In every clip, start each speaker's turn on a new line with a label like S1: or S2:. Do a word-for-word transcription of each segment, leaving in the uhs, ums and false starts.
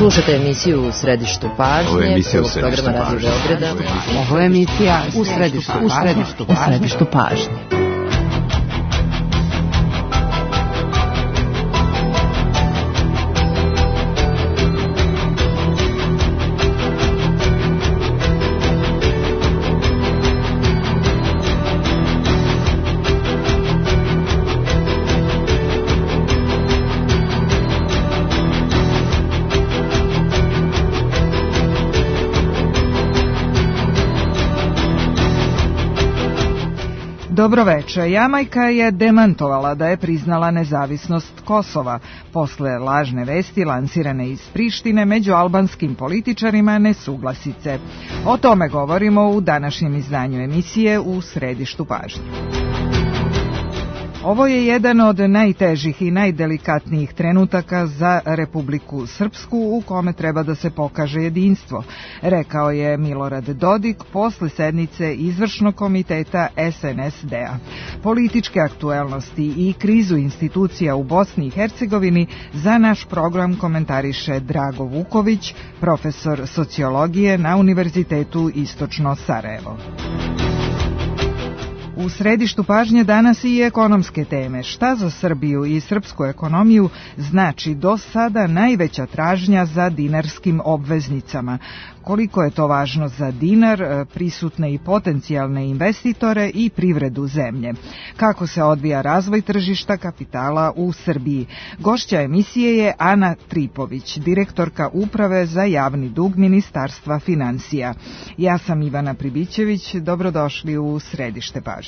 S1: Slušajte emisiju U središtu pažnje.
S2: Ovo je emisija U
S1: središtu pažnje.
S3: Ovo je emisija U središtu pažnje.
S4: Dobro večer. Jamajka je demantovala da je priznala nezavisnost Kosova. Posle lažne vesti lansirane iz Prištine među albanskim političarima nesuglasice. O tome govorimo u današnjem izdanju emisije U središtu pažnje. Ovo je jedan od najtežih i najdelikatnijih trenutaka za Republiku Srpsku u kome treba da se pokaže jedinstvo, rekao je Milorad Dodik posle sednice izvršnog komiteta S N S D-a. Političke aktuelnosti i krizu institucija u Bosni i Hercegovini za naš program komentariše Drago Vuković, profesor sociologije na Univerzitetu Istočno Sarajevo. U središtu pažnje danas i ekonomske teme. Šta za Srbiju i srpsku ekonomiju znači do sada najveća tražnja za dinarskim obveznicama? Koliko je to važno za dinar, prisutne i potencijalne investitore i privredu zemlje? Kako se odvija razvoj tržišta kapitala u Srbiji? Gošća emisije je Ana Tripović, direktorka Uprave za javni dug Ministarstva finansija. Ja sam Ivana Pribićević, dobrodošli u središte pažnje.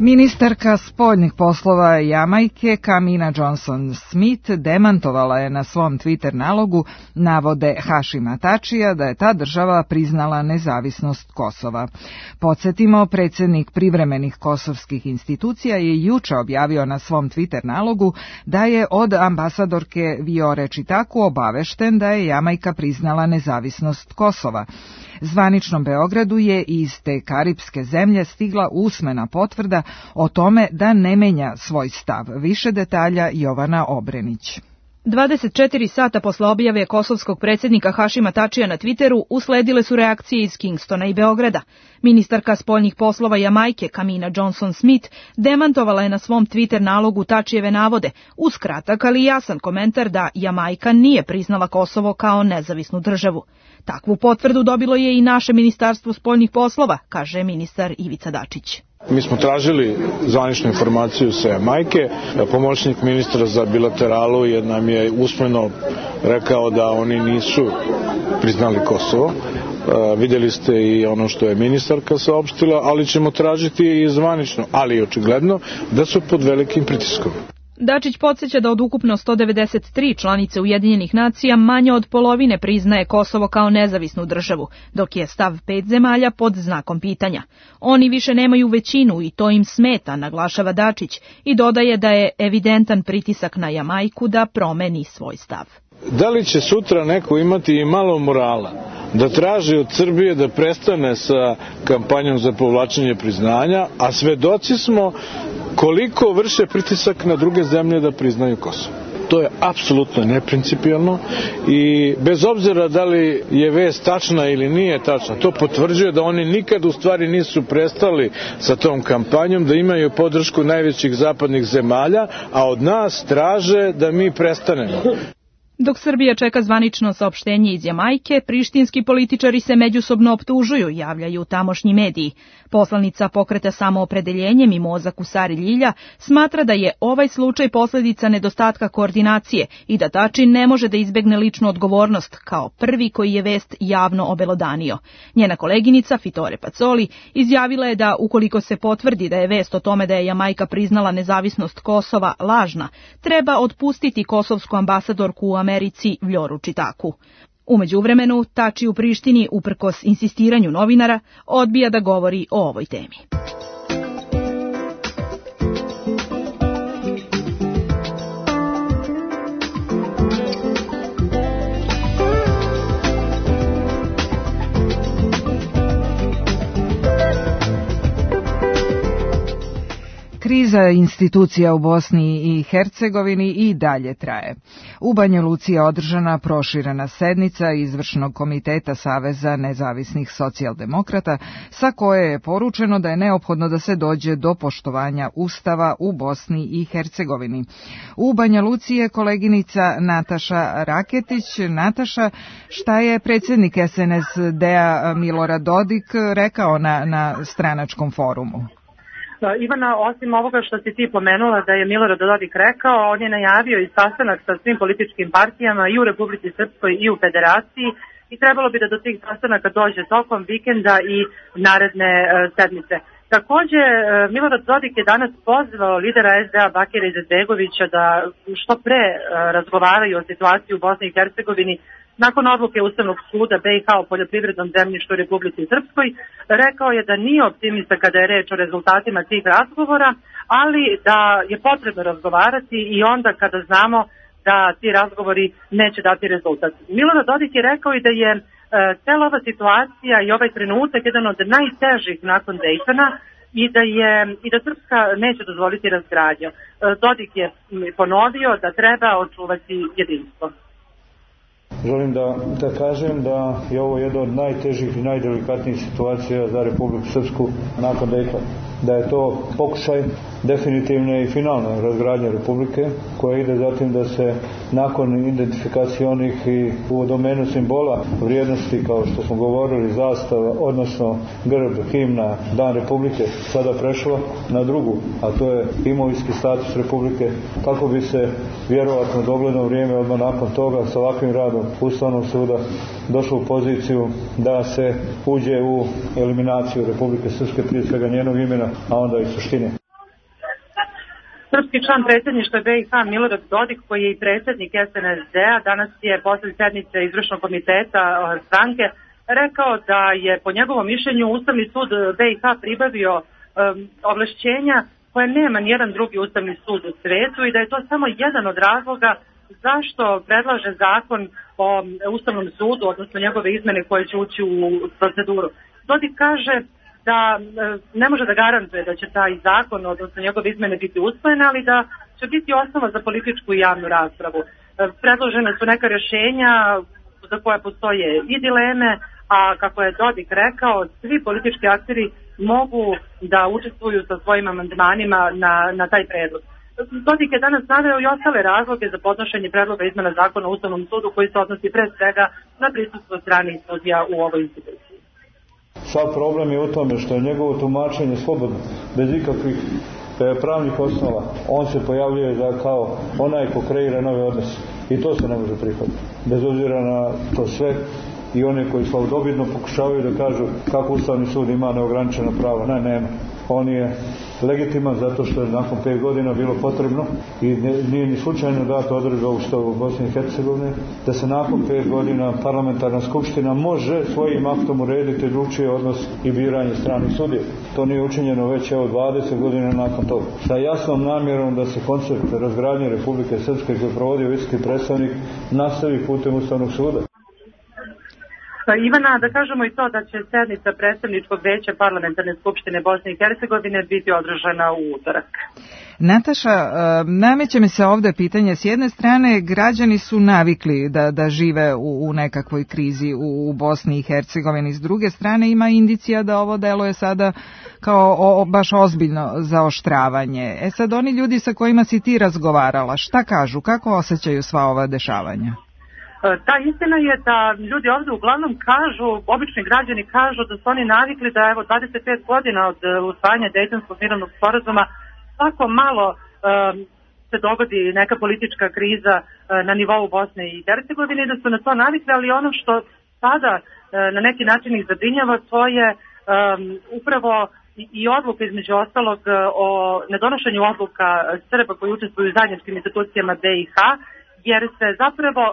S4: Ministarka spoljnih poslova Jamajke Kamina Johnson-Smith demantovala je na svom Twitter nalogu navode Hašima Tačija da je ta država priznala nezavisnost Kosova. Podsjetimo, predsjednik privremenih kosovskih institucija je juče objavio na svom Twitter nalogu da je od ambasadorke Viore Čitaku obavešten da je Jamajka priznala nezavisnost Kosova. Zvaničnom Beogradu je iz te karipske zemlje stigla usmena potvrda o tome da ne menja svoj stav. Više detalja Jovana Obrenić.
S5: dvadeset četiri sata posle objave kosovskog predsjednika Hašima Tačija na Twitteru usledile su reakcije iz Kingstona i Beograda. Ministarka spoljnih poslova Jamajke Kamina Johnson-Smith demantovala je na svom Twitter nalogu Tačijeve navode uz kratak ali jasan komentar da Jamajka nije priznala Kosovo kao nezavisnu državu. Takvu potvrdu dobilo je i naše Ministarstvo spoljnih poslova, kaže ministar Ivica Dačić.
S6: Mi smo tražili zvaničnu informaciju sa Jamajke. Pomoćnik ministra za bilateralu je nam je usmeno rekao da oni nisu priznali Kosovo. Uh, vidjeli ste i ono što je ministarka saopštila, ali ćemo tražiti i zvanično, ali i očigledno da su pod velikim pritiskom.
S5: Dačić podsjeća da od ukupno sto devedeset tri članice Ujedinjenih nacija manje od polovine priznaje Kosovo kao nezavisnu državu, dok je stav pet zemalja pod znakom pitanja. Oni više nemaju većinu i to im smeta, naglašava Dačić, i dodaje da je evidentan pritisak na Jamajku da promeni svoj stav.
S6: Da li će sutra neko imati i malo morala da traži od Srbije da prestane sa kampanjom za povlačenje priznanja, a svedoci smo koliko vrše pritisak na druge zemlje da priznaju Kosovo. To je apsolutno neprincipijelno i bez obzira da li je vest tačna ili nije tačna, to potvrđuje da oni nikad u stvari nisu prestali sa tom kampanjom, da imaju podršku najvećih zapadnih zemalja, a od nas traže da mi prestanemo.
S5: Dok Srbija čeka zvanično saopštenje iz Jamajke, prištinski političari se međusobno optužuju, javljaju tamošnji mediji. Poslanica pokreta Samoopredeljenje Mimoza Kusari Ljilja smatra da je ovaj slučaj posljedica nedostatka koordinacije i da Tači ne može da izbegne ličnu odgovornost kao prvi koji je vest javno obelodanio. Njena koleginica Fitore Pacoli izjavila je da ukoliko se potvrdi da je vest o tome da je Jamajka priznala nezavisnost Kosova lažna, treba otpustiti kosovsku ambasadorku u Americi Vljoru Čitaku. U međuvremenu, Tači u Prištini, uprkos insistiranju novinara, odbija da govori o ovoj temi.
S4: Kriza institucija u Bosni i Hercegovini i dalje traje. U Banja Luci je održana proširena sednica Izvršnog komiteta Saveza nezavisnih socijaldemokrata, sa koje je poručeno da je neophodno da se dođe do poštovanja Ustava u Bosni i Hercegovini. U Banja Luci je koleginica Nataša Raketić. Nataša, šta je predsjednik es en es de-a Milorad Dodik rekao na, na stranačkom forumu?
S2: Ivana, osim ovoga što si ti pomenula da je Milorad Dodik rekao, on je najavio i sastanak sa svim političkim partijama i u Republici Srpskoj i u Federaciji i trebalo bi da do tih sastanaka dođe tokom vikenda i naredne e, sedmice. Takođe, e, Milorad Dodik je danas pozvao lidera es de a Bakira Izetbegovića da što pre e, razgovaraju o situaciji u Bosni i Hercegovini nakon odluke Ustavnog suda be i ha o poljoprivrednom zemljištu u Republici Srpskoj. Rekao je da nije optimista kada je reč o rezultatima tih razgovora, ali da je potrebno razgovarati i onda kada znamo da ti razgovori neće dati rezultat. Milorad Dodik je rekao i da je e, cela ova situacija i ovaj trenutak jedan od najtežih nakon Dejtona i da je i da Srpska neće dozvoliti razgradnju. E, Dodik je ponovio da treba očuvati jedinstvo.
S7: Želim da, da kažem da je ovo jedna od najtežih i najdelikatnijih situacija za Republiku Srpsku nakon Dejtona. Da je to pokušaj definitivne i finalne razgradnje Republike, koja ide zatim da se nakon identifikacije onih i u domenu simbola vrijednosti, kao što smo govorili, zastava, odnosno grb, himna, Dan Republike, sada prešlo na drugu, a to je imovinski status Republike, kako bi se vjerovatno dogledno vrijeme odmah nakon toga sa ovakvim radom Ustavnog suda došlo u poziciju da se uđe u eliminaciju Republike Srpske, prije svega njenog imena, a onda i suštine.
S2: Srpski član predsjedništva be i ha Milorad Dodik, koji je i predsjednik es en es de-a, danas je posle sednice Izvršnog komiteta stranke rekao da je po njegovom mišljenju Ustavni sud be i ha pribavio um, ovlašćenja koje nema nijedan drugi Ustavni sud u svetu i da je to samo jedan od razloga zašto predlaže zakon o Ustavnom sudu, odnosno njegove izmene koje će ući u proceduru. Dodik kaže da ne može da garantuje da će taj zakon, odnosno njegove izmene biti usvojene, ali da će biti osnova za političku i javnu raspravu. Predložene su neka rješenja za koje postoje i dileme, a kako je Dodik rekao, svi politički akteri mogu da učestvuju sa svojim amandmanima na, na taj predlog. Dodik je danas naveo i ostale razloge za podnošenje predloga izmena zakona o Ustavnom sudu, koji se odnosi pre svega na prisustvo stranih sudija u ovoj instituciji.
S7: Sav problem je u tome što je njegovo tumačenje slobodno, bez ikakvih e, pravnih osnova. On se pojavljuje za kao onaj ko kreira nove odnose. I to se ne može prihvatiti. Bez obzira na to sve i one koji slavodobitno pokušavaju da kažu kako Ustavni sud ima neograničeno pravo. Ne, nema. On je legitiman zato što je nakon pet godina bilo potrebno i nije ni slučajno dato odredba Ustavu Bosne i Hercegovine da se nakon pet godina parlamentarna skupština može svojim aktom urediti drugčiji odnos i biranje stranih sudija. To nije učinjeno već evo dvadeset godina nakon toga. Sa jasnom namjerom da se koncept razgradnje Republike Srpske koji provodi visoki predstavnik nastavi putem Ustavnog suda.
S2: Ivana, da kažemo i to da će sednica predstavničkog veća parlamentarne skupštine Bosne i Hercegovine biti održana u utorak.
S4: Nataša, nameće mi se ovde pitanje. S jedne strane, građani su navikli da, da žive u, u nekakvoj krizi u, u Bosni i Hercegovini. S druge strane, ima indicija da ovo deluje sada kao o, baš ozbiljno zaoštravanje. E sad, oni ljudi sa kojima si ti razgovarala, šta kažu, kako osjećaju sva ova dešavanja?
S2: Ta istina je da ljudi ovdje uglavnom kažu, obični građani kažu da su oni navikli da evo dvadeset pet godina od usvajanja Dejtonskog mirovnog sporazuma svako malo um, se dogodi neka politička kriza uh, na nivou Bosne i Hercegovine i da su na to navikli, ali ono što sada uh, na neki način ih zabrinjava, to je um, upravo i, i odluka između ostalog uh, o nedonošenju odluka Srba koji učestvuju u zajedničkim institucijama be i ha, jer se zapravo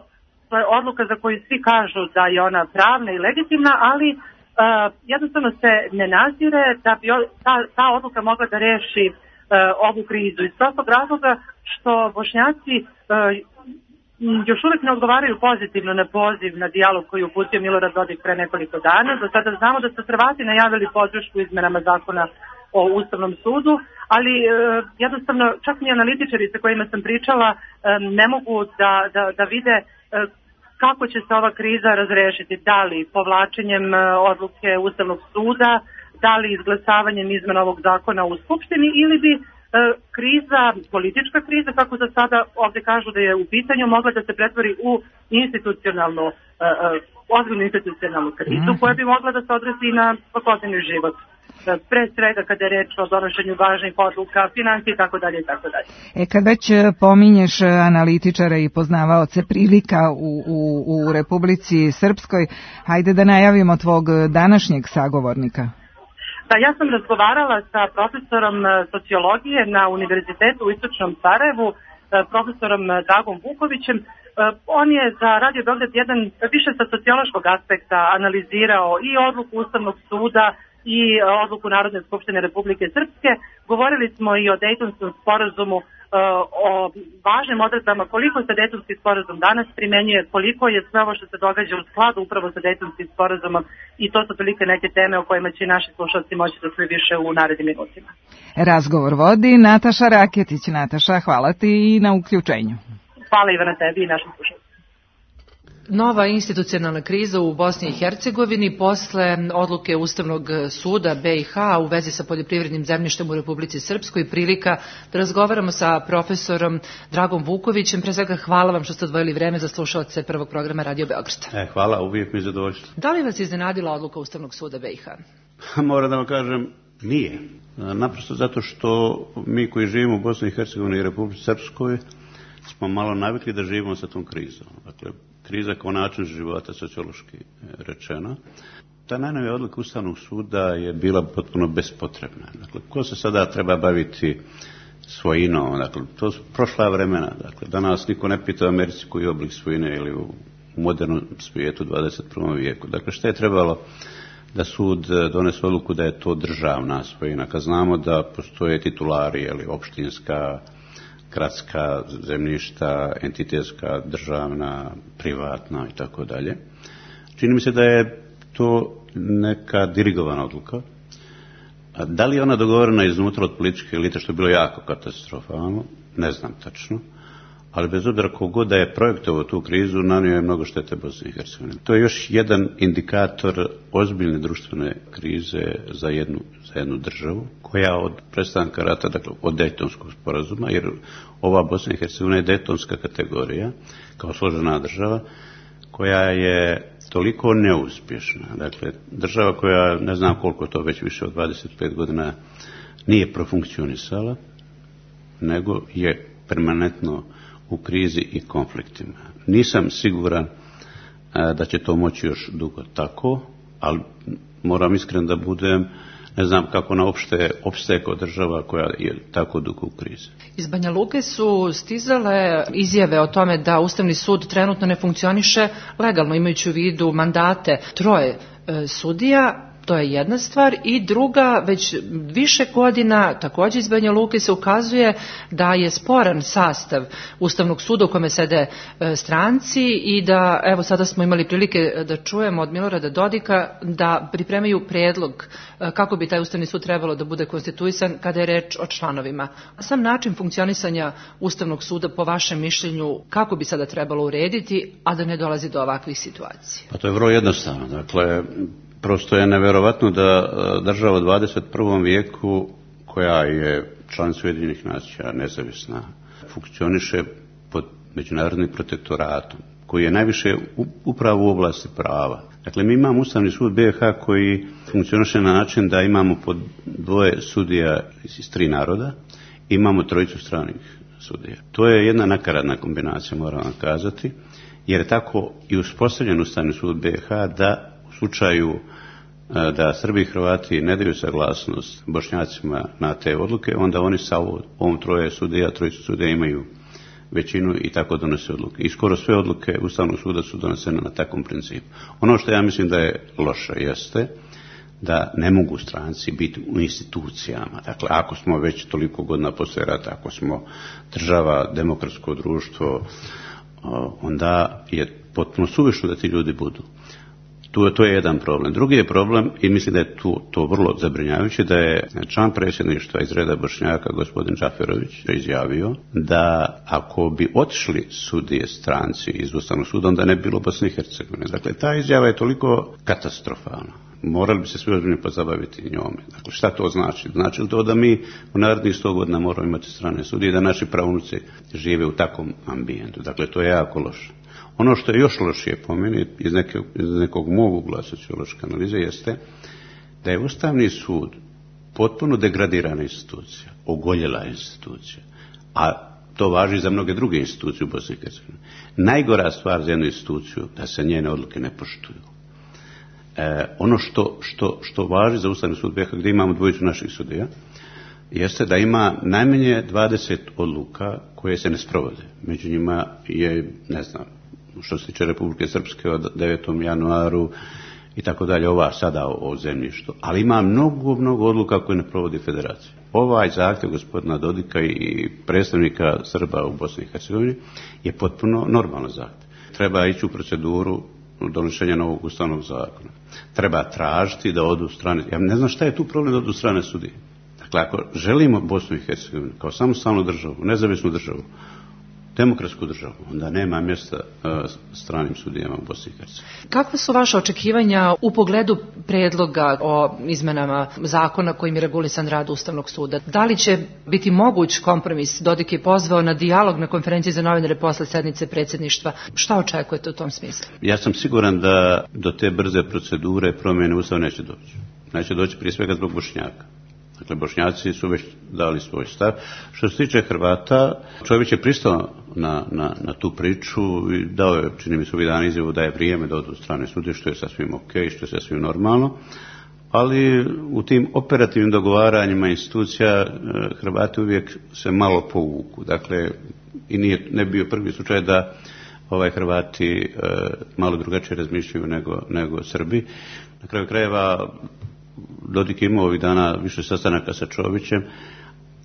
S2: to je odluka za koju svi kažu da je ona pravna i legitimna, ali uh, jednostavno se ne nazire da bi ta, ta odluka mogla da reši uh, ovu krizu. Iz prostog razloga što Bošnjaci uh, još uvijek ne odgovaraju pozitivno na poziv na dijalog koji je uputio Milorad Dodik pre nekoliko dana. Do sada znamo da su Hrvati najavili podršku izmenama zakona o Ustavnom sudu, ali e, jednostavno čak ni analitičari sa kojima sam pričala e, ne mogu da, da, da vide e, kako će se ova kriza razrešiti, da li povlačenjem e, odluke Ustavnog suda, da li izglasavanjem izmena ovog zakona u Skupštini ili bi e, kriza, politička kriza, kako za sada ovde kažu da je u pitanju, mogla da se pretvori u institucionalnu, e, ozbiljnu institucionalnu krizu koja bi mogla da se odresi na svakodnevni život. Pre svega kada je reč o donošenju važnih odluka, financije i tako dalje i tako dalje.
S4: E kad već pominješ analitičare i poznavaoce prilika u, u, u Republici Srpskoj, hajde da najavimo tvog današnjeg sagovornika.
S2: Da, ja sam razgovarala sa profesorom sociologije na Univerzitetu u Istočnom Sarajevu, profesorom Dragom Vukovićem. On je za Radio Beograd jedan više sa sociološkog aspekta analizirao i odluku Ustavnog suda i odluku Narodne skupštine Republike Srpske. Govorili smo i o Dejtonskom sporazumu, o važnim odredbama, koliko se Dejtonski sporazum danas primenjuje, koliko je sve ovo što se događa u skladu upravo sa Dejtonskim sporazumom, i to su prilike neke teme o kojima će naši slušalci moći da čuju više u narednim minutima.
S4: Razgovor vodi Nataša Raketić. Nataša, hvala ti i na uključenju.
S2: Hvala Ivana tebi i našim slušalcima.
S1: Nova institucionalna kriza u Bosni i Hercegovini posle odluke Ustavnog suda be i ha u vezi sa poljoprivrednim zemljištem u Republici Srpskoj, prilika da razgovaramo sa profesorom Dragom Vukovićem. Pre svega hvala vam što ste odvojili vreme za slušaoce prvog programa Radio Beograd.
S8: E, hvala, uvijek mi je zadovoljstvo.
S1: Da li vas iznenadila odluka Ustavnog suda be i ha?
S8: Moram da vam kažem, nije. Naprosto zato što mi koji živimo u Bosni i Hercegovini i Republici Srpskoj smo malo navikli da živimo sa tom krizom. Dakle, kriza kao način života, sociološki rečeno. Ta najnovija odluka Ustavnog suda je bila potpuno bespotrebna. Dakle, ko se sada treba baviti svojinom? Dakle, to su prošla vremena. Dakle, danas niko ne pita u Americi koji je oblik svojine ili u modernom svijetu u dvadeset prvom vijeku. Dakle, što je trebalo da sud donese odluku da je to državna svojina? Kad znamo da postoje titulari, ili opštinska, gradska zemljišta, entitetska, državna, privatna i tako dalje. Čini mi se da je to neka dirigovana odluka. A da li je ona dogovorena iznutra od političke elite, što je bilo jako katastrofalno, ne znam tačno, ali bez obzira kogod da je projektovao tu krizu, nanio je mnogo štete Bosni i Hercegovini. To je još jedan indikator ozbiljne društvene krize za jednu, za jednu državu, koja od prestanka rata, dakle od Dejtonskog sporazuma, jer ova Bosna i Hercegovina je dejtonska kategorija, kao složena država, koja je toliko neuspješna. Dakle, država koja, ne znam koliko to već više od dvadeset pet godina, nije profunkcionisala, nego je permanentno u krizi i konfliktima. Nisam siguran a, da će to moći još dugo tako, ali moram iskren da budem, ne znam kako na opšte opstaje kao država koja je tako dugo u krizi.
S1: Iz Banja Luke su stizale izjave o tome da Ustavni sud trenutno ne funkcioniše legalno, imajući u vidu mandate troje e, sudija. To je jedna stvar. I druga, već više godina također iz Banja Luke se ukazuje da je sporan sastav Ustavnog suda u kome sede e, stranci i da, evo sada smo imali prilike da čujemo od Milorada Dodika da pripremaju predlog e, kako bi taj Ustavni sud trebalo da bude konstituisan kada je reč o članovima. Sam način funkcionisanja Ustavnog suda, po vašem mišljenju, kako bi sada trebalo urediti, a da ne dolazi do ovakvih situacija?
S8: Pa to je vrlo jednostavno. Dakle, prosto je nevjerovatno da država u dvadeset prvom vijeku, koja je članica Ujedinjenih nacija, nezavisna, funkcioniše pod međunarodnim protektoratom, koji je najviše upravo u oblasti prava. Dakle, mi imamo Ustavni sud be i ha koji funkcioniše na način da imamo pod dvoje sudija iz tri naroda, imamo trojicu stranih sudija. To je jedna nakaradna kombinacija, moram vam kazati, jer je tako i uspostavljen Ustavni sud be i ha da u slučaju da Srbi i Hrvati ne daju saglasnost Bošnjacima na te odluke, onda oni sa ovom troje sudija, trojicu sudija imaju većinu i tako donose odluke. I skoro sve odluke Ustavnog suda su donesene na takvom principu. Ono što ja mislim da je loše jeste da ne mogu stranci biti u institucijama. Dakle, ako smo već toliko godina poslije rata, ako smo država, demokratsko društvo, onda je potpuno suvišno da ti ljudi budu. Tu, to je jedan problem. Drugi je problem, i mislim da je tu, to vrlo zabrinjavajuće, da je član predsjedništva iz reda Bošnjaka, gospodin Džaferović, izjavio da ako bi otišli sudije stranci iz Ustavnog suda, onda ne bi bilo Bosne i Hercegovine. Dakle, ta izjava je toliko katastrofalna. Morali bi se svi ozbiljno pozabaviti njome. Dakle, šta to znači? Znači li to da mi u narednih sto godina moramo imati strane sudije i da naši pravunuci žive u takvom ambijentu? Dakle, to je jako loše. Ono što je još lošije po meni, iz, neke, iz nekog mog ugla sociološke analize, jeste da je Ustavni sud potpuno degradirana institucija, ogoljela institucija, a to važi za mnoge druge institucije u Bosni i Hercegovini. Najgora stvar za jednu instituciju da se njene odluke ne poštuju. E, ono što, što, što važi za Ustavni sud B iH, gdje imamo dvojicu naših sudija, jeste da ima najmanje dvadeset odluka koje se ne sprovode. Među njima je, ne znam, što se tiče Republike Srpske od devetom januaru i tako dalje, ova sada o, o zemljištu. Ali ima mnogo, mnogo odluka koje ne provodi federacija. Ovaj zahtjev gospodina Dodika i predstavnika Srba u Bosni i Hercegovini je potpuno normalan zahtjev. Treba ići u proceduru donošenja novog ustavnog zakona. Treba tražiti da odu strane. Ja ne znam šta je tu problem da odu strane sudije. Dakle, ako želimo Bosnu i Hercegovinu kao samostalnu državu, nezavisnu državu, demokratsku državu, onda nema mjesta uh, stranim sudijama u Bosni i Hercegovini.
S1: Kakva su vaše očekivanja u pogledu predloga o izmenama zakona kojim je regulisan rad Ustavnog suda? Da li će biti moguć kompromis? Dodik je pozvao na dijalog na konferenciji za novinare posle sednice predsjedništva. Šta očekujete u tom smislu?
S8: Ja sam siguran da do te brze procedure promjene Ustava neće doći. Neće doći prije svega zbog Bošnjaka. Dakle, Bošnjaci su već dali svoj stav. Što se tiče Hrvata, Čović je pristao na, na, na tu priču i dao je, čini mi se ovih dana izjavu da je vrijeme da odu strane sudije, što je sasvim ok, što je sasvim normalno. Ali u tim operativnim dogovaranjima institucija Hrvati uvijek se malo povuku. Dakle, i nije, ne bio prvi slučaj da ovaj Hrvati e, malo drugačije razmišljaju nego, nego Srbi. Na kraju krajeva Dodik je imao ovih dana više sastanaka sa Čovićem.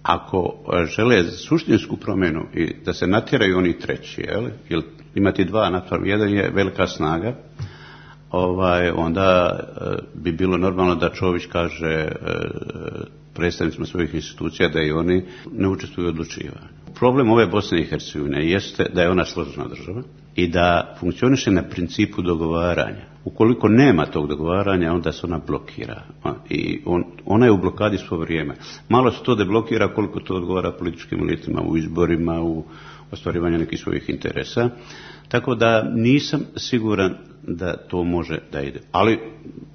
S8: Ako žele suštinsku promjenu i da se natjeraju oni treći, jel? Jer imati dva naspram jedan je velika snaga, ovaj, onda e, bi bilo normalno da Čović kaže e, predstavnicima svojih institucija da i oni ne učestvuju u odlučivanju. Problem ove Bosne i Hercegovine jeste da je ona složena država i da funkcioniše na principu dogovaranja. Ukoliko nema tog dogovaranja, onda se ona blokira. I on, ona je u blokadi svo vrijeme. Malo se to deblokira koliko to odgovara političkim elitama u izborima, u ostvarivanju nekih svojih interesa. Tako da nisam siguran da to može da ide. Ali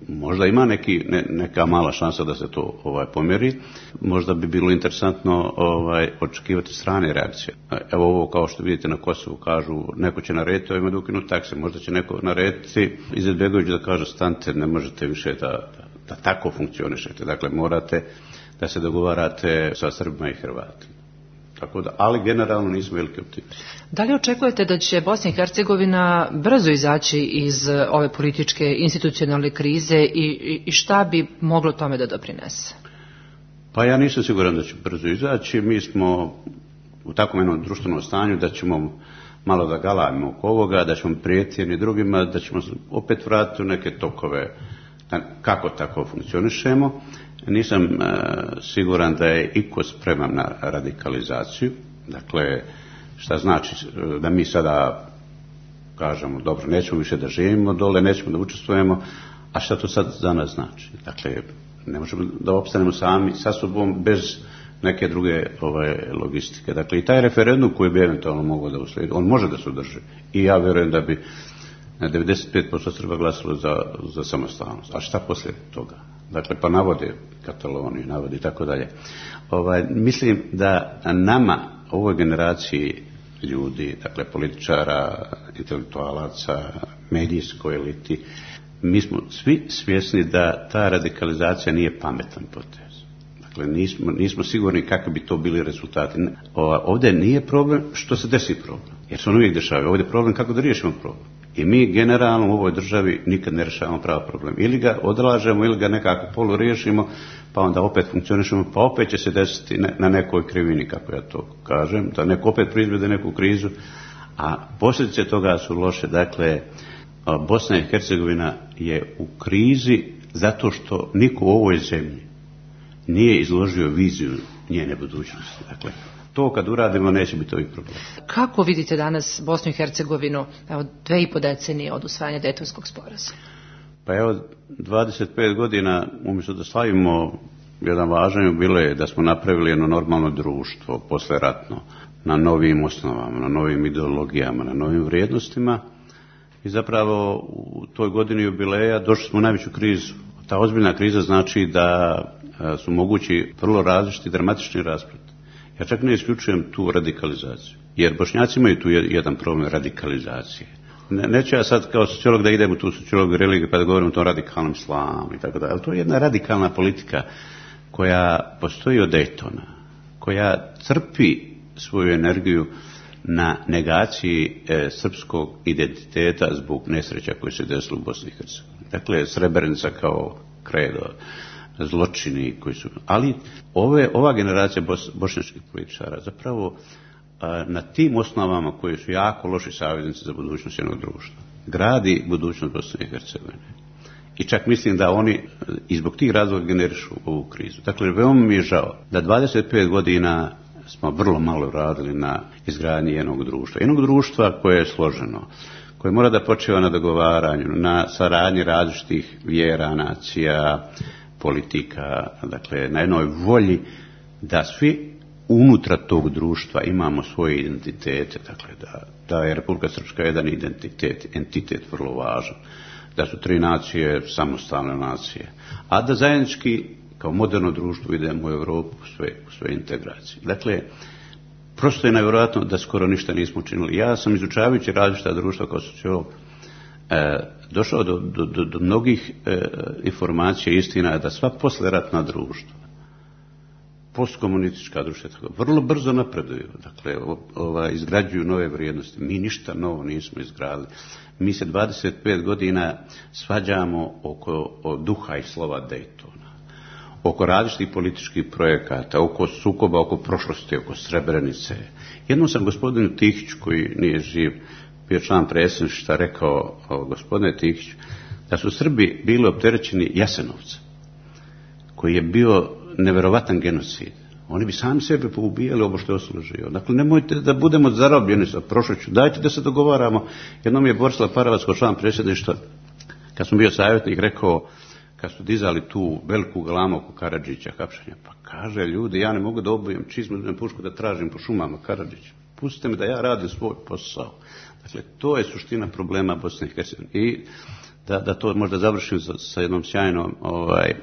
S8: možda ima neki, ne, neka mala šansa da se to ovaj, pomjeri. Možda bi bilo interesantno ovaj, očekivati strane reakcije. Evo ovo kao što vidite na Kosovu kažu neko će narediti ovima da ukinu takse. Možda će neko narediti Izetbegović da kaže stante, ne možete više da, da, da tako funkcionišete. Dakle morate da se dogovarate sa Srbima i Hrvatima. Tako da, ali generalno nismo veliki optimisti.
S1: Da li očekujete da će Bosna i Hercegovina brzo izaći iz ove političke institucionalne krize i, i šta bi moglo tome da doprinese?
S8: Pa ja nisam siguran da će brzo izaći. Mi smo u takvom jednom društvenom stanju da ćemo malo da galamimo oko ovoga, da ćemo prijeti jedni drugima, da ćemo opet vratiti u neke tokove kako tako funkcionišemo. Nisam e, siguran da je iko spreman na radikalizaciju. Dakle, šta znači da mi sada kažemo, dobro, nećemo više da živimo dole, nećemo da učestvujemo, a šta to sad za nas znači? Dakle, ne možemo da opstanemo sami sa sobom bez neke druge ovaj, logistike. Dakle, i taj referendum koji bi eventualno mogao da usledi, on može da se održi. I ja vjerujem da bi devedeset pet posto Srba glasilo za, za samostalnost. A šta poslije toga? Dakle, pa navode Kataloniju, navode i tako dalje. Ovaj, mislim da nama, ovoj generaciji ljudi, dakle političara, intelektualaca, medijskoj eliti, mi smo svi svjesni da ta radikalizacija nije pametan potez. Dakle, nismo, nismo sigurni kakvi bi to bili rezultati. Ovdje nije problem što se desi problem, jer se on uvijek dešava. Ovdje je problem kako da riješimo problem. I mi generalno u ovoj državi nikad ne rješavamo pravi problem. Ili ga odlažemo, ili ga nekako polu riješimo, pa onda opet funkcionišemo, pa opet će se desiti na nekoj krivini, kako ja to kažem, da neko opet proizvede neku krizu, a posljedice toga su loše. Dakle, Bosna i Hercegovina je u krizi zato što niko u ovoj zemlji nije izložio viziju njene budućnosti. Dakle, to kad uradimo neće biti ovih problema.
S1: Kako vidite danas Bosnu i Hercegovinu, evo, dve i po decenije od usvajanja Dejtonskog sporazuma?
S8: Pa evo, dvadeset pet godina, umjesto da slavimo jedan važan jubilej, da smo napravili jedno normalno društvo, posleratno, na novim osnovama, na novim ideologijama, na novim vrijednostima, i zapravo u toj godini jubileja došli smo u najveću krizu. Ta ozbiljna kriza znači da su mogući vrlo različiti, dramatični rasplet. Ja čak ne isključujem tu radikalizaciju, jer Bošnjaci imaju tu jedan problem radikalizacije. Ne, neću ja sad kao sociolog da idem u tu sociologiju religiju pa da govorim o tom radikalnom islamu i tako da, ali to je jedna radikalna politika koja postoji od Daytona, koja crpi svoju energiju na negaciji e, srpskog identiteta zbog nesreća koje se desilo u Bosni i Hercegovini. Dakle, Srebrenica kao kredo, zločini koji su... Ali ove, ova generacija bos, bošnjačkih političara zapravo a, na tim osnovama koji su jako loši saveznici za budućnost jednog društva gradi budućnost Bosne i Hercegovine. I čak mislim da oni i zbog tih razloga generišu ovu krizu. Dakle, veoma mi je žao da dvadeset pet godina smo vrlo malo radili na izgradnji jednog društva. Jednog društva koje je složeno, koje mora da počiva na dogovaranju, na saradnji različitih vjera, nacija, politika, dakle, na jednoj volji da svi unutra tog društva imamo svoje identitete, dakle, da, da je Republika Srpska jedan identitet, entitet vrlo važan, da su tri nacije samostalne nacije, a da zajednički kao moderno društvo idemo u Europu u sve, u sve integracije. Dakle, prosto je nevjerojatno da skoro ništa nismo učinili. Ja sam izučavajući različita društva kao sociolog e, došao do, do, do, do mnogih e, informacija i istina da sva posleratna društva, postkomunistička društva, tako, vrlo brzo napreduju, dakle, ova, izgrađuju nove vrijednosti. Mi ništa novo nismo izgradili. Mi se dvadeset pet godina svađamo oko o duha i slova Daytona, oko različitih političkih projekata, oko sukoba, oko prošlosti, oko Srebrenice. Jednom sam gospodinu Tihiću, koji nije živ, bio član predsjedništva, rekao, gospodine Tihiću, da su Srbi bili opterećeni Jasenovca, koji je bio neverovatan genocid. Oni bi sami sebe poubijali ovo što je ostalo živo. Dakle, nemojte da budemo zarobljeni sa prošlošću. Dajte da se dogovaramo. Jednom je Borislav Paravac, kao član predsjedništva, kad sam bio savjetnik, rekao, kad su dizali tu veliku galamu oko Karadžića, hapšenja, pa kaže, ljudi, ja ne mogu da obujem čizmu, da pušku da tražim po šumama Karadžića. Pustite me da ja radim svoj posao. Dakle, to je suština problema Bosne i Hercegovine. I da, da to možda završim sa, sa jednom sjajnom, ovaj,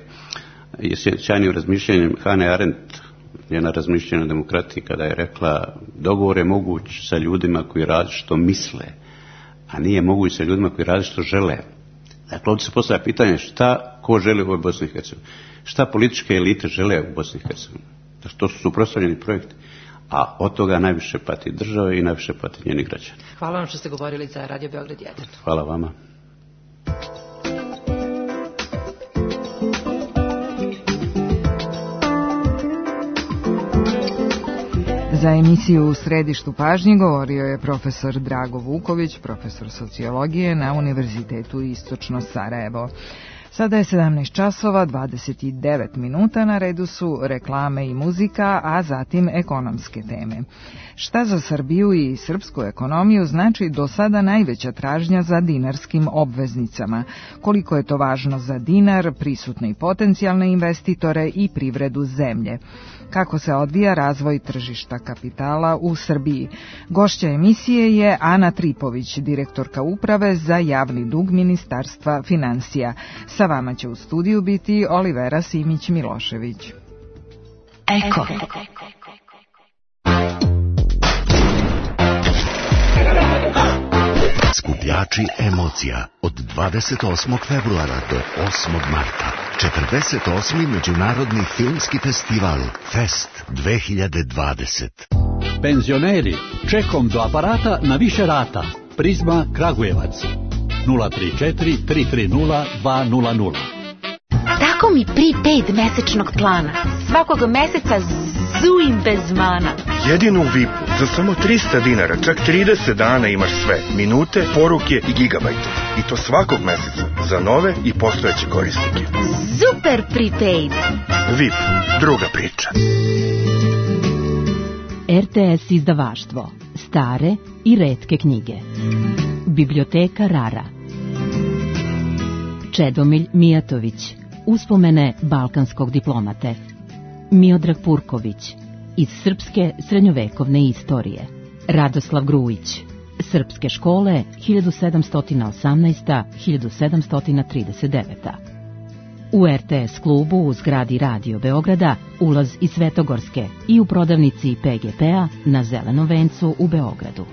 S8: sjajnim razmišljanjem Hane Arendt, njena razmišljanja o demokratiji, kada je rekla, dogovor je moguć sa ljudima koji različito misle, a nije moguć sa ljudima koji različito žele. Dakle, ovdje se postavlja pitanje šta ko želi u ovoj Bosni i Hercegovini, šta političke elite žele u Bosni i Hercegovini. Dakle, to su suprotstavljeni projekti, a od toga najviše pati države i najviše pati njeni građani.
S1: Hvala vam što ste govorili za Radio Beograd jedan.
S8: Hvala vama.
S4: Za emisiju U središtu pažnje govorio je profesor Drago Vuković, profesor sociologije na Univerzitetu Istočno Sarajevo. Sada je sedamnaest časova dvadeset devet minuta, na redu su reklame i muzika, a zatim ekonomske teme. Šta za Srbiju i srpsku ekonomiju znači do sada najveća tražnja za dinarskim obveznicama? Koliko je to važno za dinar, prisutne i potencijalne investitore i privredu zemlje? Kako se odvija razvoj tržišta kapitala u Srbiji? Gošća emisije je Ana Tripović, direktorka uprave za javni dug Ministarstva finansija. Sa vama će u studiju biti Olivera Simić-Milošević.
S9: Eko. Skupljači emocija od dvadeset osmog februara do osmog marta. četrdeset osmi Međunarodni filmski festival Fest dve hiljade dvadeset.
S10: Penzioneri, čekom do aparata na više rata. Prizma Kragujevac. nula tri četiri tri tri nula dva nula nula.
S11: Tako mi prepaid mesečnog plana. Svakog meseca zujim bez mana. Jedino u V I P-u za samo trista dinara, čak trideset dana imaš sve. Minute, poruke i gigabajte. I to svakog meseca za nove i postojeće korisnike.
S12: Super prepaid.
S11: V I P, druga priča.
S13: R T S izdavaštvo. Stare i retke knjige. Biblioteka Rara. Čedomilj Mijatović. Uspomene balkanskog diplomate. Miodrag Purković. Iz srpske srednjovekovne istorije. Radoslav Grujić. Srpske škole hiljadu sedamsto osamnaesta do hiljadu sedamsto trideset deveta. U R T S klubu u zgradi Radio Beograda ulaz iz Svetogorske i u prodavnici P G P-a na Zelenom vencu u Beogradu.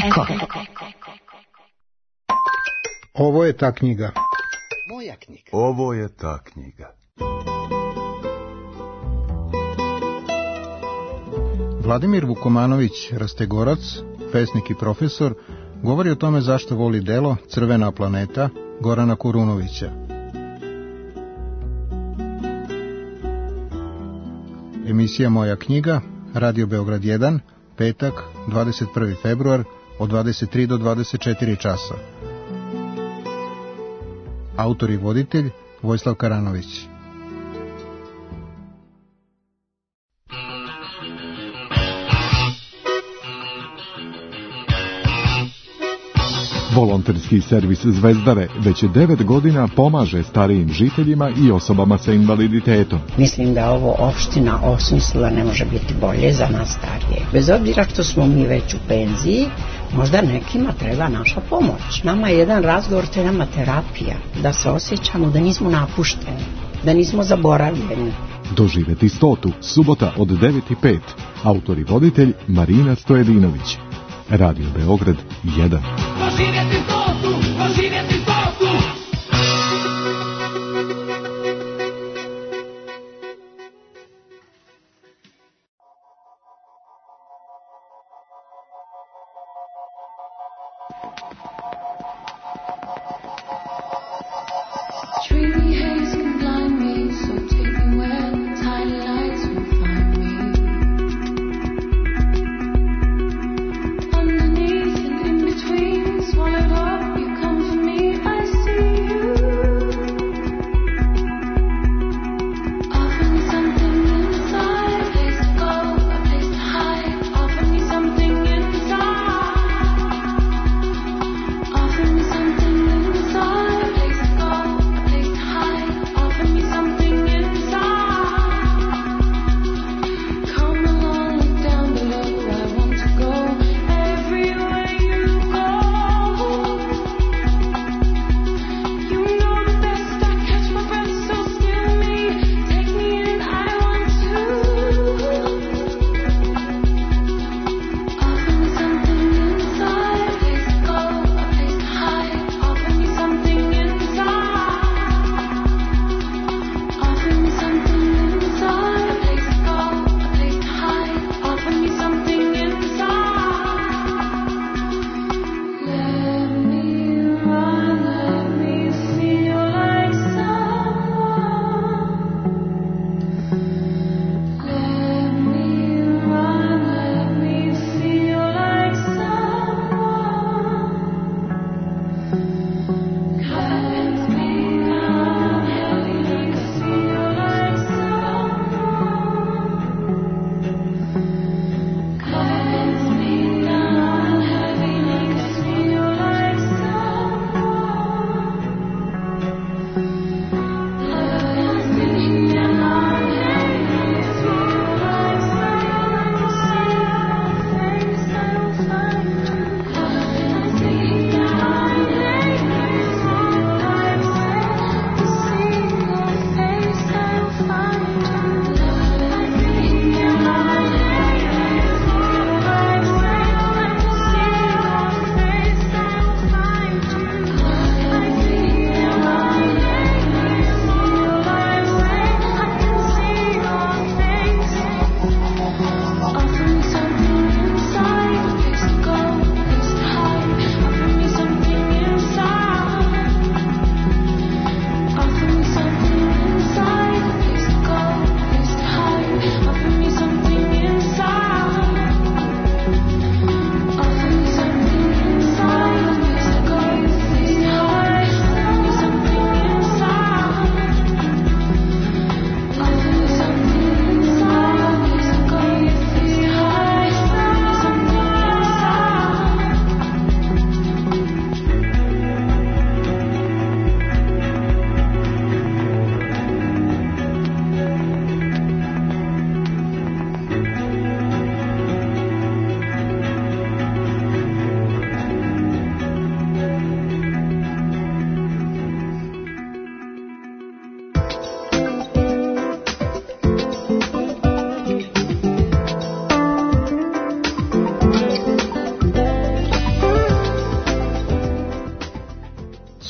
S12: Eko.
S14: Ovo je ta knjiga.
S15: Moja knjiga.
S16: Ovo je ta knjiga.
S14: Vladimir Vukomanović Rastegorac, pesnik i profesor, govori o tome zašto voli delo Crvena planeta Gorana Kurunovića. Emisija Moja knjiga, Radio Beograd jedan, petak, dvadeset prvi februar, od dvadeset tri do dvadeset četiri časa. Autor i voditelj Vojislav Karanović.
S17: Volonterski servis Zvezdare već devet godina pomaže starijim žiteljima i osobama sa invaliditetom.
S18: Mislim da ovo opština osmislila ne može biti bolje za nas starije. Bez obzira što smo mi već u penziji, možda nekima treba naša pomoć. Nama je jedan razgovor, to je nama terapija, da se osjećamo da nismo napušteni, da nismo zaboravljeni.
S17: Doživeti stotu, subota od devet i pet. Autor i voditelj Marina Stojedinović. Radio Beograd jedan.
S19: Doživjeti stotu, doživjeti stotu.
S20: Oh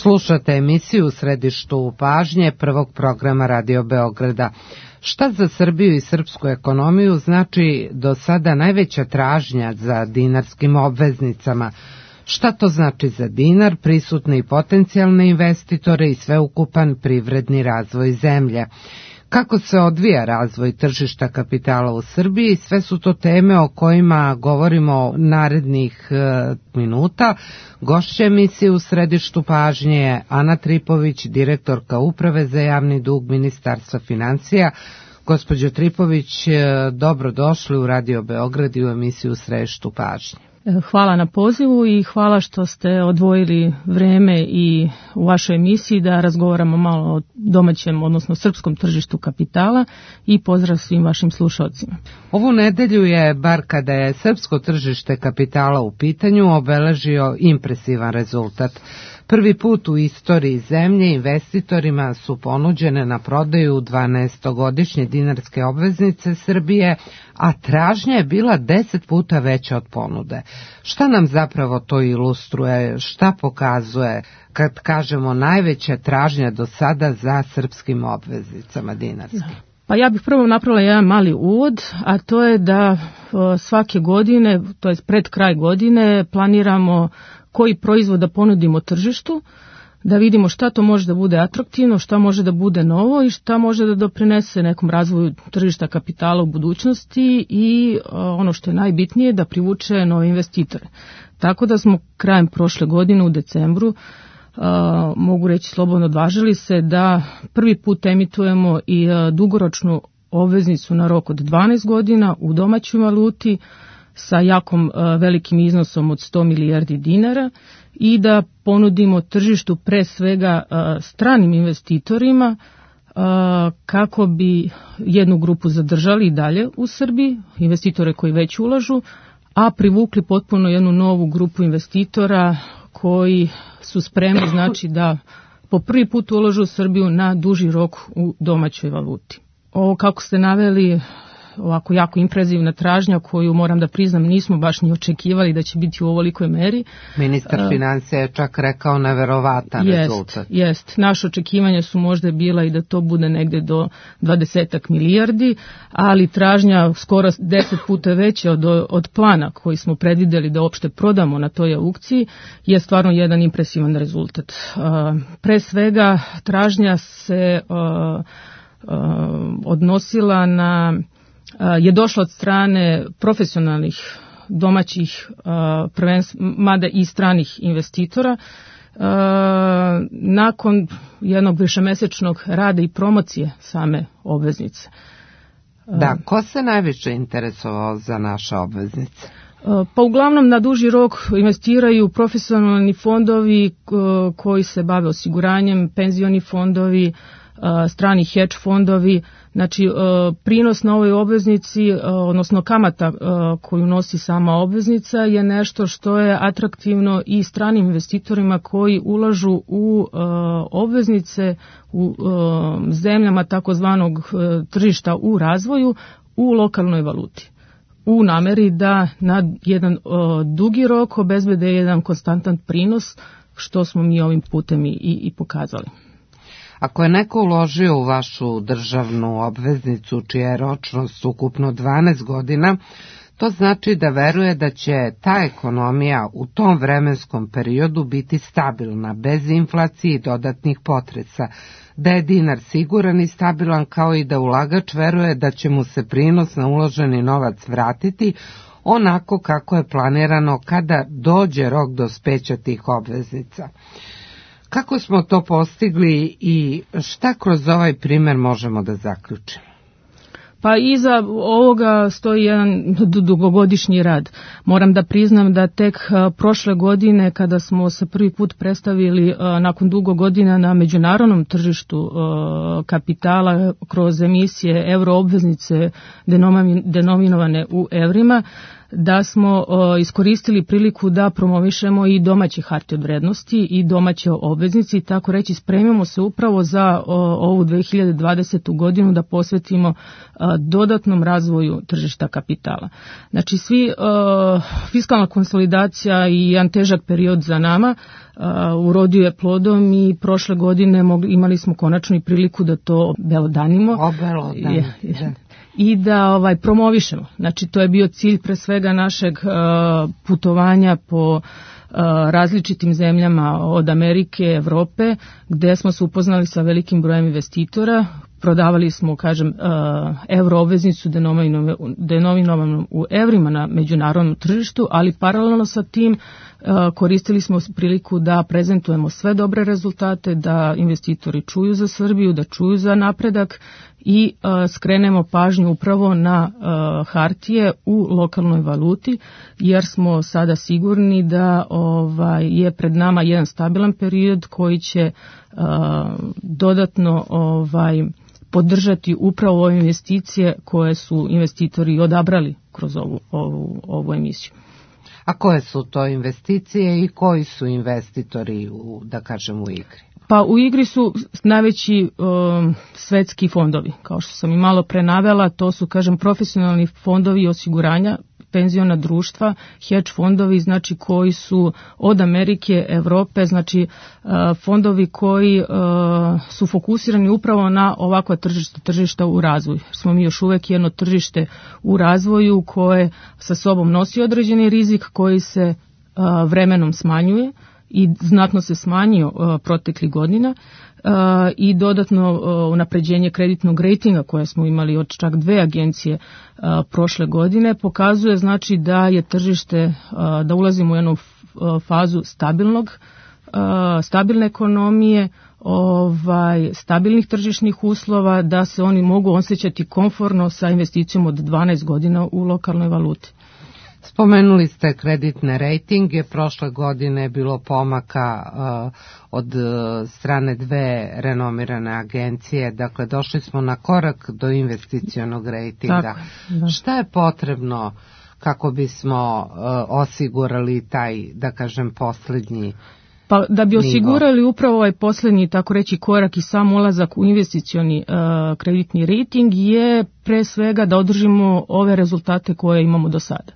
S3: Slušate emisiju u središtu pažnje prvog programa Radio Beograda. Šta za Srbiju i srpsku ekonomiju znači do sada najveća tražnja za dinarskim obveznicama? Šta to znači za dinar, prisutne i potencijalne investitore i sveukupan privredni razvoj zemlje? Kako se odvija razvoj tržišta kapitala u Srbiji? Sve su to teme o kojima govorimo narednih e, minuta. Gošća emisije u središtu pažnje je Ana Tripović, direktorka Uprave za javni dug Ministarstva financija. Gospođo Tripović, dobro došli u Radio Beograd i u emisiju u središtu pažnje.
S15: Hvala na pozivu i hvala što ste odvojili vreme i u vašoj emisiji da razgovaramo malo o domaćem, odnosno srpskom tržištu kapitala i pozdrav svim vašim slušalcima.
S3: Ovu nedelju je, bar kada je srpsko tržište kapitala u pitanju, obeležio impresivan rezultat. Prvi put u istoriji zemlje investitorima su ponuđene na prodaju dvanaestogodišnje dinarske obveznice Srbije, a tražnja je bila deset puta veća od ponude. Šta nam zapravo to ilustruje, šta pokazuje kad kažemo najveća tražnja do sada za srpskim obveznicama dinarskim?
S15: Pa ja bih prvo napravila jedan mali uvod, a to je da svake godine, to je pred kraj godine, planiramo koji proizvod da ponudimo tržištu, da vidimo šta to može da bude atraktivno, šta može da bude novo i šta može da doprinese nekom razvoju tržišta kapitala u budućnosti i ono što je najbitnije da privuče nove investitore. Tako da smo krajem prošle godine u decembru, Uh, mogu reći slobodno, odvažili se da prvi put emitujemo i uh, dugoročnu obveznicu na rok od dvanaest godina u domaćoj valuti sa jakom uh, velikim iznosom od sto milijardi dinara i da ponudimo tržištu pre svega uh, stranim investitorima uh, kako bi jednu grupu zadržali i dalje u Srbiji, investitore koji već ulažu, a privukli potpuno jednu novu grupu investitora koji su spremni, znači, da po prvi put ulažu u Srbiju na duži rok u domaćoj valuti. Ovo, kako ste naveli, ovako jako impresivna tražnja koju, moram da priznam, nismo baš ni očekivali da će biti u ovolikoj meri.
S3: Ministar uh, financija je čak rekao neverovatan
S15: jest,
S3: rezultat.
S15: Jest, naše očekivanja su možda bila i da to bude negde do dvadesetak milijardi, ali tražnja skoro deset puta veća od, od plana koji smo predvideli da uopšte prodamo na toj aukciji je stvarno jedan impresivan rezultat. Uh, pre svega, tražnja se uh, uh, odnosila na je došla od strane profesionalnih domaćih, prvenstv, mada i stranih investitora. Nakon jednog višemesečnog rada i promocije same obveznice.
S3: Da, ko se najviše interesovao za naše obveznice?
S15: Pa uglavnom na duži rok investiraju profesionalni fondovi koji se bave osiguranjem, penzioni fondovi, strani hedge fondovi. Znači, prinos na ovoj obveznici, odnosno kamata koju nosi sama obveznica je nešto što je atraktivno i stranim investitorima koji ulažu u obveznice u zemljama takozvanog tržišta u razvoju u lokalnoj valuti, u nameri da na jedan dugi rok obezbede jedan konstantan prinos, što smo mi ovim putem i, i pokazali.
S3: Ako je neko uložio u vašu državnu obveznicu čija je ročnost ukupno dvanaest godina, to znači da veruje da će ta ekonomija u tom vremenskom periodu biti stabilna, bez inflacije i dodatnih potresa, da je dinar siguran i stabilan, kao i da ulagač veruje da će mu se prinos na uloženi novac vratiti onako kako je planirano kada dođe rok dospeća tih obveznica. Kako smo to postigli i šta kroz ovaj primer možemo da zaključimo?
S15: Pa iza ovoga stoji jedan dugogodišnji rad. Moram da priznam da tek prošle godine, kada smo se prvi put predstavili nakon dugo godina na međunarodnom tržištu kapitala kroz emisije euroobveznice denominovane u evrima, da smo o, iskoristili priliku da promovišemo i domaće hartije od vrednosti i domaće obveznice i tako reći spremimo se upravo za o, ovu dve hiljade dvadesetu godinu da posvetimo a, dodatnom razvoju tržišta kapitala. Znači svi o, fiskalna konsolidacija i jedan težak period za nama Uh, urodio je plodom i prošle godine mogli, imali smo konačno i priliku da to obelodanimo.
S3: Obelodanimo,
S15: da. I da ovaj promovišemo. Znači to je bio cilj pre svega našeg uh, putovanja po uh, različitim zemljama od Amerike, Evrope, gde smo se upoznali sa velikim brojem investitora. Prodavali smo, kažem, uh, euro obveznicu denominovanu u evrima na međunarodnom tržištu, ali paralelno sa tim uh, koristili smo priliku da prezentujemo sve dobre rezultate, da investitori čuju za Srbiju, da čuju za napredak i uh, skrenemo pažnju upravo na uh, hartije u lokalnoj valuti, jer smo sada sigurni da ovaj, je pred nama jedan stabilan period koji će uh, dodatno ovaj, podržati upravo ove investicije koje su investitori odabrali kroz ovu, ovu, ovu emisiju.
S3: A koje su to investicije i koji su investitori, u, da kažem, u igri?
S15: Pa u igri su najveći um, svetski fondovi, kao što sam i malo pre navela, to su, kažem, profesionalni fondovi osiguranja, penziona društva, hedge fondovi, znači koji su od Amerike, Evrope, znači uh, fondovi koji uh, su fokusirani upravo na ovakva tržišta, tržišta u razvoju. Smo mi još uvek jedno tržište u razvoju koje sa sobom nosi određeni rizik koji se uh, vremenom smanjuje i znatno se smanjio uh, proteklih godina uh, i dodatno uh, unapređenje kreditnog rejtinga koje smo imali od čak dve agencije uh, prošle godine pokazuje znači da je tržište, uh, da ulazimo u jednu uh, fazu stabilnog, uh, stabilne ekonomije, ovaj, stabilnih tržišnih uslova, da se oni mogu osjećati komforno sa investicijom od dvanaest godina u lokalnoj valuti.
S3: Spomenuli ste kreditne rejtinge, prošle godine je bilo pomaka uh, od uh, strane dve renomirane agencije, dakle došli smo na korak do investicionog rejtinga.
S15: Tako, da.
S3: Šta je potrebno kako bismo uh, osigurali taj, da kažem, poslednji
S15: Pa da bi
S3: nivo?
S15: Osigurali upravo ovaj poslednji, tako reći, korak i sam ulazak u investicioni uh, kreditni rejting je pre svega da održimo ove rezultate koje imamo do sada.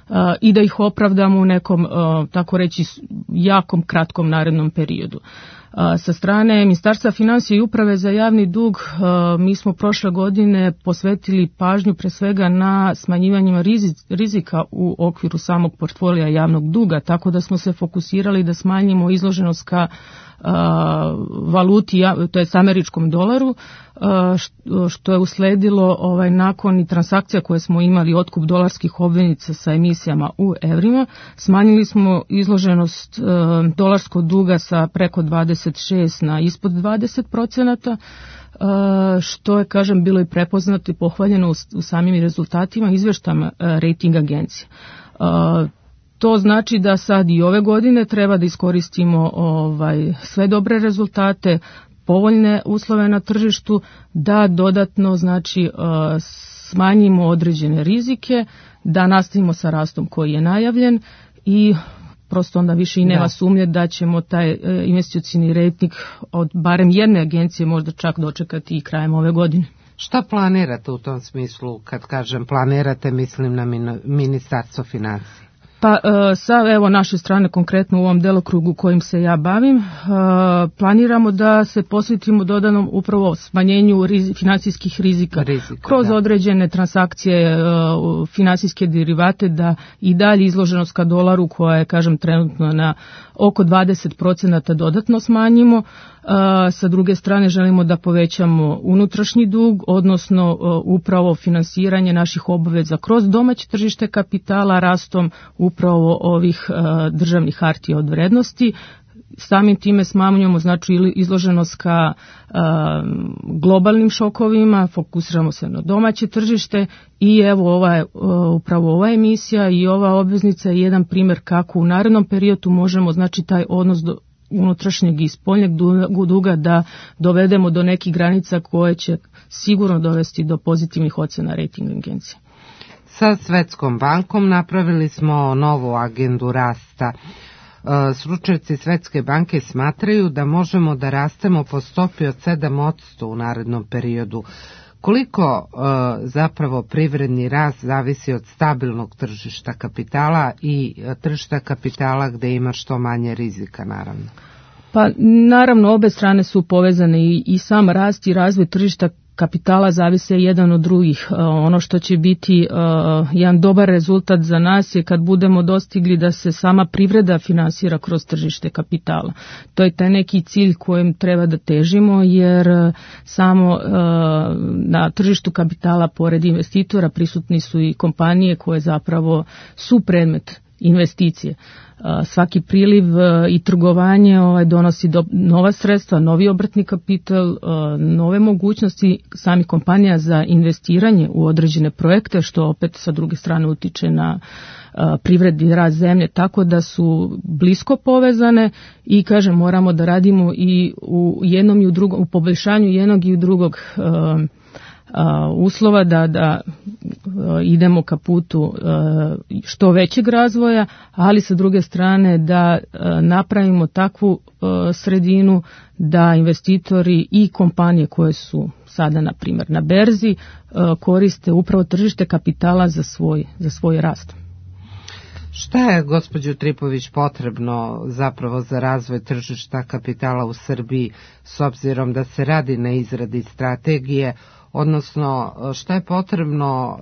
S15: Uh, i da ih opravdamo u nekom, uh, tako reći, jakom, kratkom narednom periodu. Uh, sa strane Ministarstva finansija i Uprave za javni dug, uh, mi smo prošle godine posvetili pažnju pre svega na smanjivanjima rizika u okviru samog portfolija javnog duga, tako da smo se fokusirali da smanjimo izloženost ka uh, valuti, to je američkom dolaru, uh, što je usledilo ovaj, nakon i transakcija koje smo imali, otkup dolarskih obveznica sa emisijama u evrima. Smanjili smo izloženost uh, dolarskog duga sa preko dvadeset šest na ispod dvadeset procenata, uh, što je, kažem, bilo i prepoznato i pohvaljeno u, u samim rezultatima izveštama uh, rating agencije. Uh, To znači da sad i ove godine treba da iskoristimo ovaj, sve dobre rezultate, povoljne uslove na tržištu, da dodatno znači smanjimo određene rizike, da nastavimo sa rastom koji je najavljen i prosto onda više i nema da. sumnje da ćemo taj investicioni rejting od barem jedne agencije možda čak dočekati i krajem ove godine.
S3: Šta planirate u tom smislu? Kad kažem planirate, mislim na Ministarstvo finansija.
S15: Pa sa evo naše strane, konkretno u ovom delokrugu kojim se ja bavim, planiramo da se posvetimo dodanom upravo smanjenju rizi, finansijskih rizika, rizika kroz da. određene transakcije, finansijske derivate, da i dalje izloženost ka dolaru koja je, kažem, trenutno na oko dvadeset procenata dodatno smanjimo. Sa druge strane želimo da povećamo unutrašnji dug, odnosno upravo finansiranje naših obaveza kroz domaće tržište kapitala rastom upravo ovih državnih hartija od vrednosti. Samim time smanjujemo znači izloženost ka globalnim šokovima, fokusiramo se na domaće tržište i evo ova, upravo ova emisija i ova obveznica je jedan primjer kako u narednom periodu možemo znači taj odnos do unutrašnjeg i spoljnjeg duga da dovedemo do nekih granica koje će sigurno dovesti do pozitivnih ocena rating agencije.
S3: Sa Svetskom bankom napravili smo novu agendu rasta. Stručnjaci Svetske banke smatraju da možemo da rastemo po stopi od sedam posto u narednom periodu. Koliko e, zapravo privredni rast zavisi od stabilnog tržišta kapitala i tržišta kapitala gde ima što manje rizika, naravno?
S15: Pa naravno, obe strane su povezane i, i sam rast i razvoj tržišta kapitala zavise jedan od drugih. Ono što će biti uh, jedan dobar rezultat za nas je kad budemo dostigli da se sama privreda finansira kroz tržište kapitala. To je taj neki cilj kojem treba da težimo, jer uh, samo uh, na tržištu kapitala pored investitora prisutni su i kompanije koje zapravo su predmet investicije. Svaki priliv i trgovanje ovaj, donosi do, nova sredstva, novi obrtni kapital, nove mogućnosti samih kompanija za investiranje u određene projekte, što opet sa druge strane utiče na privredni rast zemlje, tako da su blisko povezane i kažem, moramo da radimo i u jednom i u drugom, u poboljšanju jednog i u drugog uslova da, da idemo ka putu što većeg razvoja, ali sa druge strane da napravimo takvu sredinu da investitori i kompanije koje su sada na primjer na berzi koriste upravo tržište kapitala za svoj, za svoj rast.
S3: Šta je, gospođo Tripović, potrebno zapravo za razvoj tržišta kapitala u Srbiji s obzirom da se radi na izradi strategije, odnosno šta je potrebno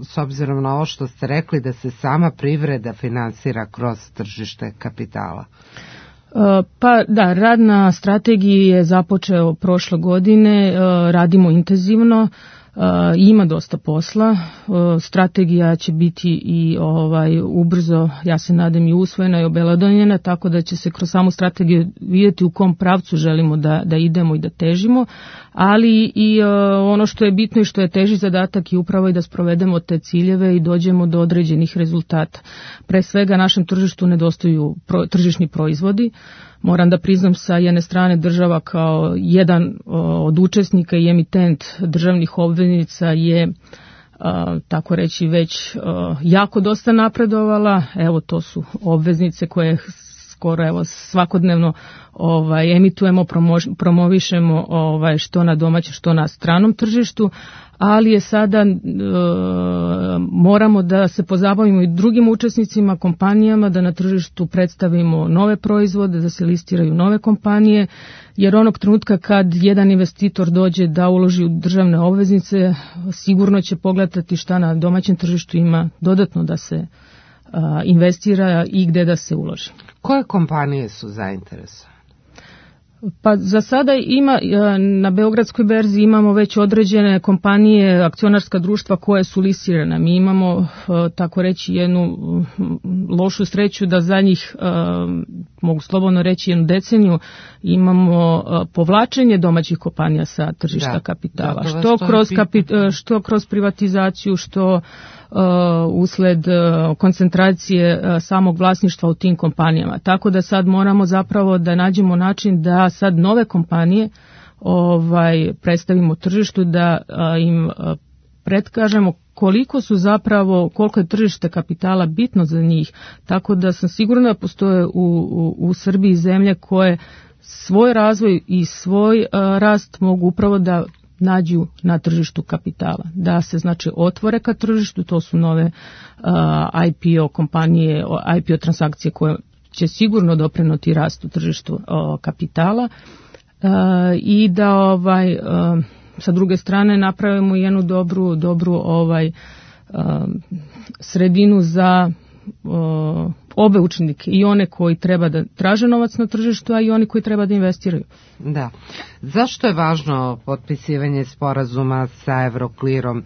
S3: s obzirom na ovo što ste rekli da se sama privreda finansira kroz tržište kapitala?
S15: Pa da, rad na strategiji je započeo prošle godine, radimo intenzivno. Uh, ima dosta posla, uh, strategija će biti i ovaj ubrzo, ja se nadam, i usvojena i obelodonjena, tako da će se kroz samu strategiju vidjeti u kom pravcu želimo da, da idemo i da težimo, ali i uh, ono što je bitno i što je teži zadatak je upravo i da sprovedemo te ciljeve i dođemo do određenih rezultata. Pre svega našem tržištu nedostaju pro, tržišni proizvodi. Moram da priznam, sa jedne strane država kao jedan od učesnika i emitent državnih obveznica je, tako reći, već jako dosta napredovala. Evo, to su obveznice koje skoro evo svakodnevno ovaj emitujemo, promovišemo ovaj što na domaćem, što na stranom tržištu, ali je sada e, moramo da se pozabavimo i drugim učesnicima, kompanijama, da na tržištu predstavimo nove proizvode, da se listiraju nove kompanije, jer onog trenutka kad jedan investitor dođe da uloži u državne obveznice, sigurno će pogledati šta na domaćem tržištu ima dodatno da se a, investira i gde da se uloži.
S3: Koje kompanije su zainteresovane?
S15: Pa za sada ima, na Beogradskoj berzi imamo već određene kompanije, akcionarska društva koje su listirane. Mi imamo, tako reći, jednu lošu sreću da za njih, mogu slobodno reći, jednu deceniju imamo povlačenje domaćih kompanija sa tržišta da, kapitala. Da, što, kroz kapi, što kroz privatizaciju, što Uh, usled uh, koncentracije uh, samog vlasništva u tim kompanijama. Tako da sad moramo zapravo da nađemo način da sad nove kompanije ovaj, predstavimo tržištu, da uh, im uh, predkažemo koliko su zapravo, koliko je tržište kapitala bitno za njih. Tako da sam sigurna da postoje u, u, u Srbiji zemlje koje svoj razvoj i svoj uh, rast mogu upravo da nađu na tržištu kapitala, da se znači otvore ka tržištu, to su nove uh, I P O kompanije, I P O transakcije koje će sigurno doprinuti rastu tržištu uh, kapitala uh, i da ovaj uh, sa druge strane napravimo jednu dobru dobru ovaj uh, sredinu za uh, obe učenike, i one koji treba da traže novac na tržištu, a i oni koji treba da investiraju.
S3: Da. Zašto je važno potpisivanje sporazuma sa Euroclearom,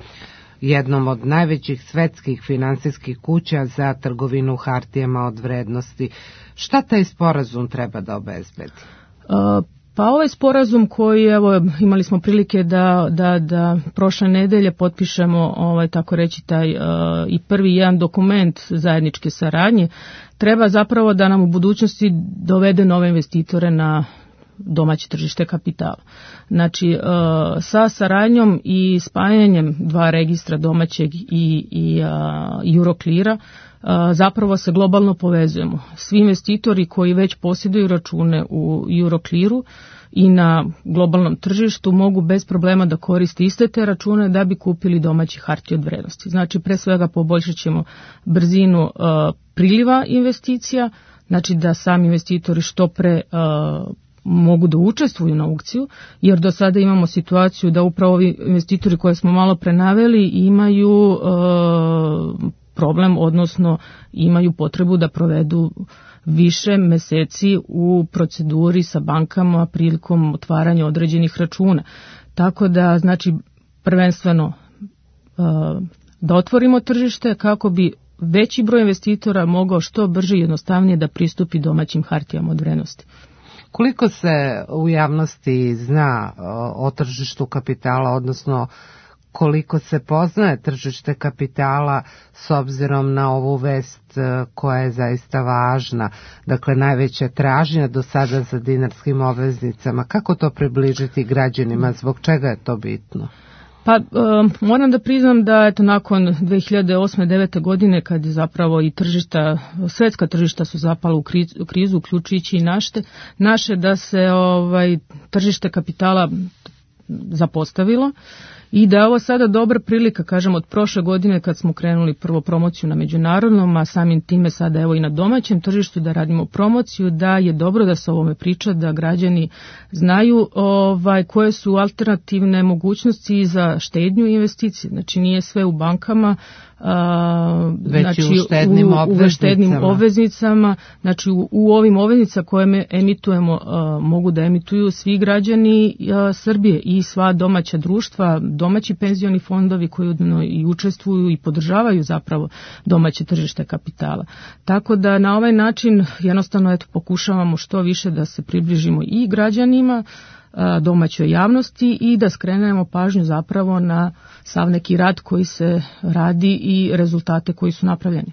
S3: jednom od najvećih svetskih finansijskih kuća za trgovinu hartijama od vrednosti? Šta taj sporazum treba da obezbedi?
S15: Uh, Pa ovaj sporazum koji, evo, imali smo prilike da, da, da prošle nedelje potpišemo, ovaj, tako reći, taj uh, i prvi jedan dokument zajedničke saradnje, treba zapravo da nam u budućnosti dovede nove investitore na domaće tržište kapitala. Znači, sa saradnjom i spajanjem dva registra domaćeg i, i Eurocleara zapravo se globalno povezujemo. Svi investitori koji već posjeduju račune u Euroclearu i na globalnom tržištu mogu bez problema da koriste iste te račune da bi kupili domaći hartije od vrednosti. Znači, pre svega poboljšat ćemo brzinu uh, priliva investicija, znači da sami investitori što pre uh, mogu da učestvuju na aukciju, jer do sada imamo situaciju da upravo ovi investitori koje smo malo prenaveli imaju uh, problem, odnosno imaju potrebu da provedu više meseci u proceduri sa bankama prilikom otvaranja određenih računa. Tako da, znači, prvenstveno da otvorimo tržište kako bi veći broj investitora mogao što brže i jednostavnije da pristupi domaćim hartijama od vrednosti.
S3: Koliko se u javnosti zna o tržištu kapitala, odnosno koliko se poznaje tržište kapitala s obzirom na ovu vest koja je zaista važna, dakle najveća tražnja do sada za dinarskim obveznicama, kako to približiti građanima, zbog čega je to bitno?
S15: Pa e, moram da priznam da eto nakon dve hiljade osme devete godine kad je zapravo i tržišta, svetska tržišta su zapala u krizu, krizu uključujući i naše, naše da se ovaj tržište kapitala zapostavilo. I da je ovo sada dobra prilika, kažem, od prošle godine kad smo krenuli prvo promociju na međunarodnom, a samim time sada evo i na domaćem tržištu da radimo promociju, da je dobro da se o ovome priča, da građani znaju ovaj, koje su alternativne mogućnosti za štednju i investicije. Znači nije sve u bankama, a,
S3: već
S15: znači,
S3: u štednim
S15: u,
S3: obveznicama.
S15: U štednim obveznicama, znači u, u ovim obveznicama koje me emitujemo a, mogu da emituju svi građani a, Srbije i sva domaća društva, domaći penzioni fondovi koji i učestvuju i podržavaju zapravo domaće tržište kapitala. Tako da na ovaj način jednostavno eto pokušavamo što više da se približimo i građanima, domaćoj javnosti i da skrenemo pažnju zapravo na sav neki rad koji se radi i rezultate koji su napravljeni.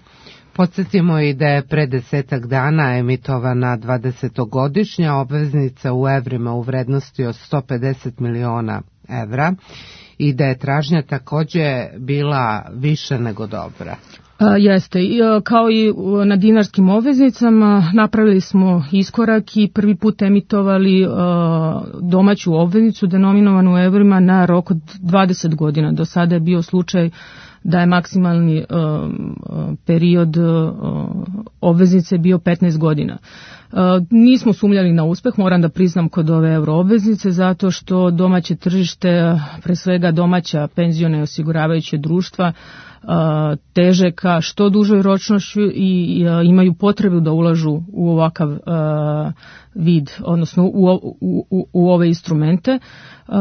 S3: Podsjetimo i da je pre desetak dana emitovana dvadesetogodišnja obveznica u evrima u vrednosti od sto pedeset miliona evra i da je tražnja takođe bila više nego dobra.
S15: A, jeste, I, kao i na dinarskim obveznicama napravili smo iskorak i prvi put emitovali a, domaću obveznicu denominovanu u evrima na rok od dvadeset godina. Do sada je bio slučaj da je maksimalni a, period a, obveznice bio petnaest godina. A, nismo sumnjali na uspeh, moram da priznam, kod ove euroobveznice, zato što domaće tržište, pre svega domaća penziona i osiguravajuće društva, teže ka što dužoj ročnošću i imaju potrebu da ulažu u ovakav uh, vid, odnosno u, u, u, u ove instrumente, uh,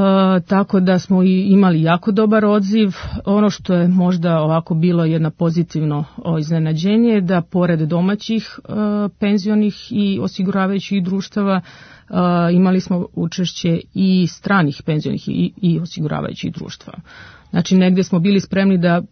S15: tako da smo i imali jako dobar odziv. Ono što je možda ovako bilo jedno pozitivno iznenađenje, da pored domaćih uh, penzionih i osiguravajućih društava uh, imali smo učešće i stranih penzionih i, i osiguravajućih društva. Znači, negdje smo bili spremni da uh,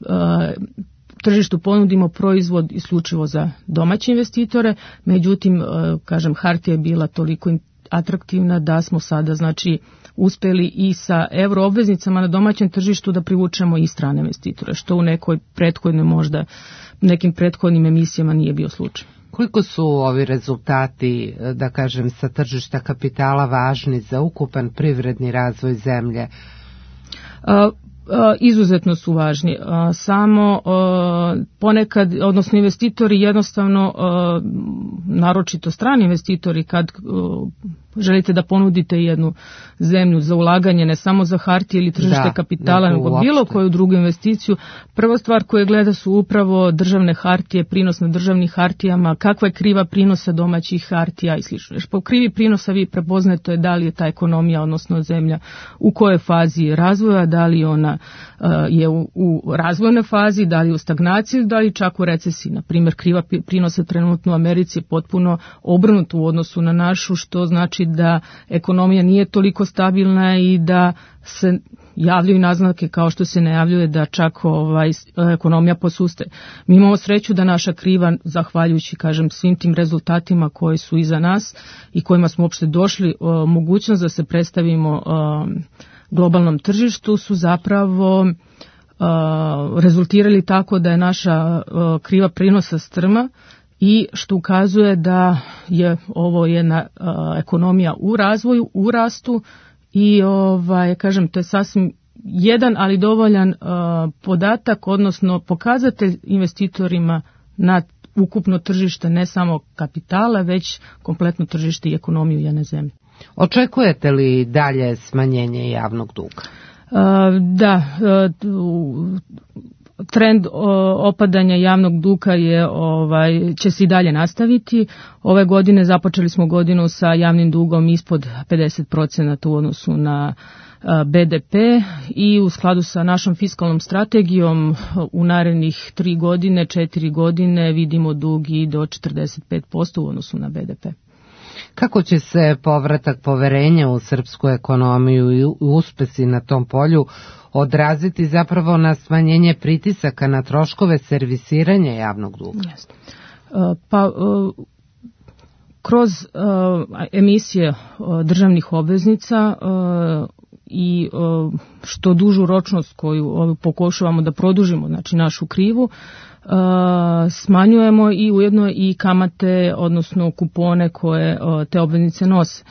S15: tržištu ponudimo proizvod isključivo za domaće investitore, međutim, uh, kažem, hartija je bila toliko atraktivna da smo sada, znači, uspeli i sa euroobveznicama na domaćem tržištu da privučemo i strane investitore, što u nekoj prethodnoj možda, nekim prethodnim emisijama nije bio slučaj.
S3: Koliko su ovi rezultati, da kažem, sa tržišta kapitala važni za ukupan privredni razvoj zemlje?
S15: Uh, Izuzetno su važni. Samo ponekad, odnosno investitori jednostavno, naročito strani investitori, kad želite da ponudite jednu zemlju za ulaganje, ne samo za hartije ili tržište da, kapitala, nego uopšte bilo koju drugu investiciju, prva stvar koju gleda su upravo državne hartije, prinos na državnih hartijama, kakva je kriva prinosa domaćih hartija i slično. Jer po krivi prinosa vi prepoznajete da li je ta ekonomija, odnosno zemlja, u kojoj fazi razvoja, da li ona uh, je u, u razvojnoj fazi, da li je u stagnaciji, da li čak u recesiji. Na primjer, kriva prinosa trenutno u Americi je potpuno obrnuto u odnosu na našu, što znači znači da ekonomija nije toliko stabilna i da se javljaju naznake kao što se najavljuje da čak ovaj, ekonomija posustaje. Mi imamo sreću da naša kriva, zahvaljujući kažem svim tim rezultatima koji su iza nas i kojima smo uopšte došli, o, mogućnost da se predstavimo o, globalnom tržištu su zapravo o, rezultirali tako da je naša o, kriva prinosa strma i što ukazuje da je ovo jedna o, ekonomija u razvoju, u rastu. I ovaj kažem to je sasvim jedan ali dovoljan uh, podatak, odnosno pokazatelj investitorima na ukupno tržište ne samo kapitala, već kompletno tržište i ekonomiju jedne zemlje.
S3: Očekujete li dalje smanjenje javnog duga?
S15: Uh, da, uh, trend opadanja javnog duga je ovaj će se i dalje nastaviti. Ove godine započeli smo godinu sa javnim dugom ispod pedeset procenata u odnosu na be de pe i u skladu sa našom fiskalnom strategijom u narednih tri godine, četiri godine vidimo dug i do četrdeset pet posto u odnosu na be de pe.
S3: Kako će se povratak poverenja u srpsku ekonomiju i uspesi na tom polju odraziti zapravo na smanjenje pritisaka na troškove servisiranja javnog duga?
S15: Jeste. Pa kroz emisije državnih obveznica i što dužu ročnost koju pokušavamo da produžimo, znači našu krivu, smanjujemo i ujedno i kamate, odnosno kupone koje te obveznice nose.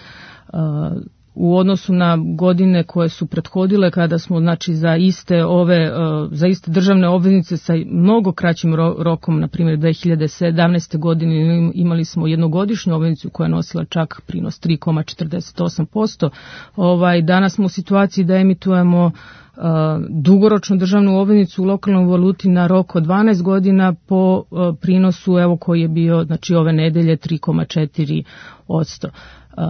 S15: U odnosu na godine koje su prethodile kada smo znači za iste ove za iste državne obveznice sa mnogo kraćim rokom, na primjer dve hiljade sedamnaeste. godine imali smo jednogodišnju obveznicu koja je nosila čak prinos tri zarez četrdeset osam posto. Ovaj danas smo u situaciji da emitujemo uh, dugoročnu državnu obveznicu u lokalnoj valuti na rok od dvanaest godina po uh, prinosu evo koji je bio znači ove nedelje tri zarez četiri posto. Uh,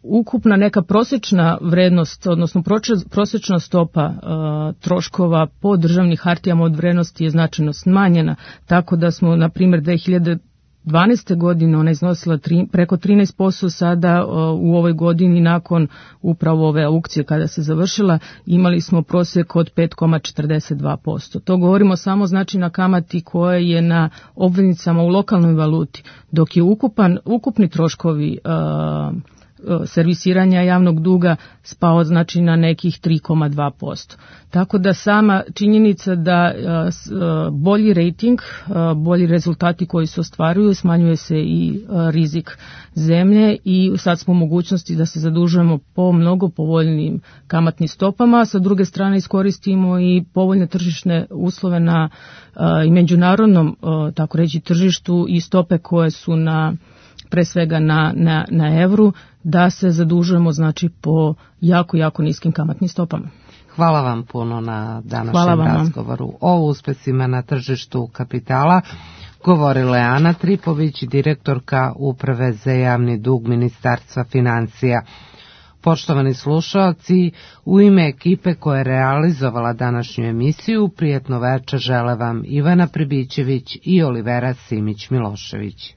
S15: Ukupna neka prosječna vrednost, odnosno prosječna stopa uh, troškova po državnim hartijama od vrednosti je značajno smanjena, tako da smo, na primjer, dve hiljade dvanaeste. godine ona iznosila tri, preko trinaest posto, sada uh, u ovoj godini nakon upravo ove aukcije kada se završila imali smo prosjek od pet zarez četrdeset dva posto. To govorimo samo znači na kamati koja je na obveznicama u lokalnoj valuti, dok je ukupan, ukupni troškovi uh, servisiranja javnog duga spao znači na nekih tri zarez dva posto. Tako da sama činjenica da bolji rating, bolji rezultati koji se ostvaruju, smanjuje se i rizik zemlje i sad smo u mogućnosti da se zadužujemo po mnogo povoljnim kamatnim stopama, a sa druge strane iskoristimo i povoljne tržišne uslove na i međunarodnom tako reći tržištu i stope koje su na pre svega na, na, na evru, da se zadužujemo znači po jako, jako niskim kamatnim stopama.
S3: Hvala vam puno na današnjem razgovoru o uspesima na tržištu kapitala. Govorila je Ana Tripović, direktorka Uprave za javni dug Ministarstva financija. Poštovani slušalci, u ime ekipe koja je realizovala današnju emisiju, prijetno večer žele vam Ivana Pribićević i Olivera Simić-Milošević.